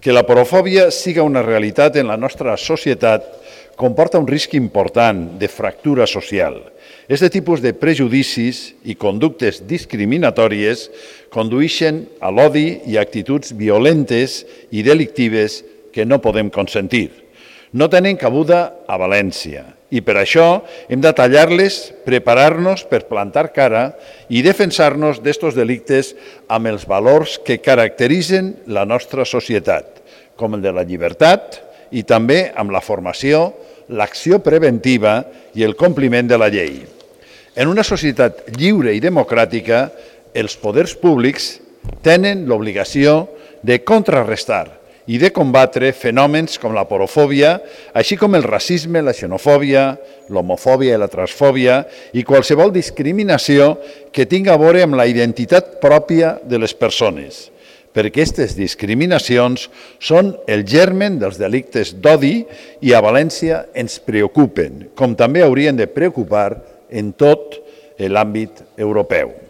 Que la porofòbia siga una realitat en la nostra societat comporta un risc important de fractura social. Aquest tipus de prejudicis i conductes discriminatòries condueixen a l'odi i actituds violentes i delictives que no podem consentir. No tenen cabuda a València i per això hem de tallar-les, preparar-nos per plantar cara i defensar-nos d'estos delictes amb els valors que caracteritzen la nostra societat, com el de la llibertat i també amb la formació, l'acció preventiva i el compliment de la llei. En una societat lliure i democràtica, els poders públics tenen l'obligació de contrarrestar i de combatre fenòmens com la porofòbia, així com el racisme, la xenofòbia, l'homofòbia i la transfòbia i qualsevol discriminació que tinga a veure amb la identitat pròpia de les persones, perquè aquestes discriminacions són el germen dels delictes d'odi i a València ens preocupen, com també haurien de preocupar en tot l'àmbit europeu.